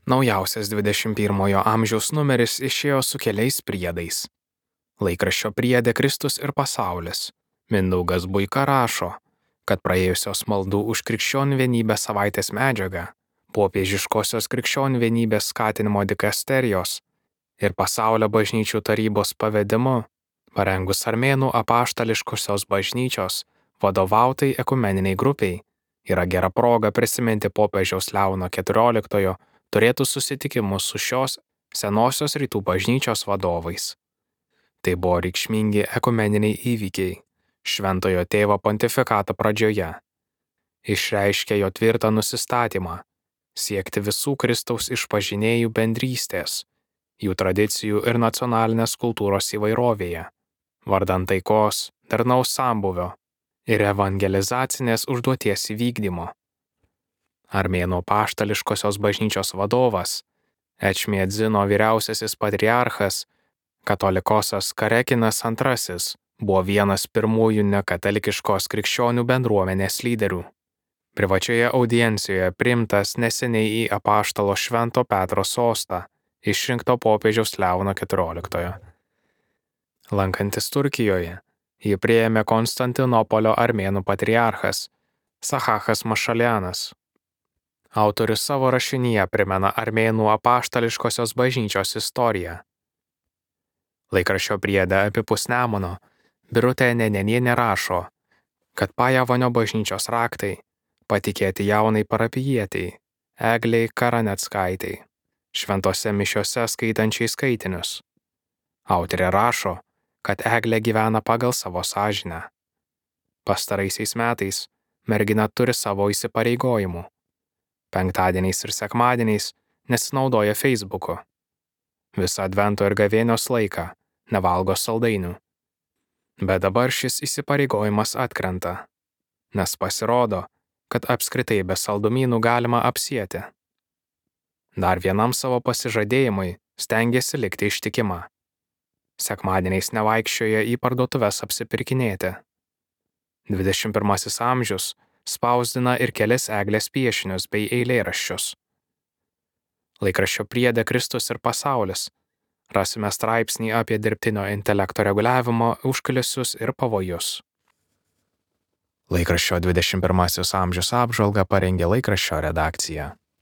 Naujausias 21 amžiaus numeris išėjo su keliais priedais. Laikraščio priede Kristus ir pasaulis. Mindaugas Buika rašo, kad praėjusios maldų už krikščionių vienybę savaitės medžiaga, popiežiškosios krikščionių vienybės skatinimo dikasterijos ir pasaulio bažnyčių tarybos pavedimu, parengus Armėnų apaštališkosios bažnyčios vadovautai ekumeniniai grupiai, yra gera proga prisiminti popiežiaus Leono XIV turėtų susitikimus su šios senosios rytų bažnyčios vadovais. Tai buvo reikšmingi ekumeniniai įvykiai Šventojo Tėvo pontifikato pradžioje. Išreiškė jo tvirtą nusistatymą siekti visų Kristaus išpažinėjų bendrystės, jų tradicijų ir nacionalinės kultūros įvairovėje, vardan taikos, darnaus sambūvio ir evangelizacinės užduoties įvykdymo. Armėnų apaštališkosios bažnyčios vadovas, Ečmiadzino vyriausiasis patriarchas, katolikosas Karekinas II, buvo vienas pirmųjų nekatalikiškos krikščionių bendruomenės lyderių. Privačioje audiencijoje priimtas neseniai į apaštalo Švento Petro sostą, išrinkto popiežiaus Leono XIV. Lankantis Turkijoje, jį priėmė Konstantinopolio armėnų patriarchas Sahachas Mašalianas. Autorius savo rašinyje primena armėnų apaštališkosios bažnyčios istoriją. Laikraščio priede apipus Nemuno Birutė Nenenienė rašo, kad Pajavonio bažnyčios raktai patikėti jaunai parapijietei Eglei Karaneckaitei, šventose mišiose skaitančiai skaitinius. Autorė rašo, kad Eglė gyvena pagal savo sąžinę. Pastaraisiais metais mergina turi savo įsipareigojimų. Penktadieniais ir sekmadieniais nesinaudoja Facebooku. Visą advento ir gavėnios laiką nevalgo saldainių. Bet dabar šis įsipareigojimas atkrenta, nes pasirodo, kad apskritai be saldumynų galima apsieti. Dar vienam savo pasižadėjimui stengiasi likti ištikima. Sekmadieniais nevaikščioja į parduotuves apsipirkinėti. 21 amžius spausdina ir kelis Eglės piešinius bei eilėraščius. Laikraščio priede Kristus ir pasaulis rasime straipsnį apie dirbtinio intelekto reguliavimo užkulisius ir pavojus. Laikraščio 21 amžius apžvalgą parengė laikraščio redakcija.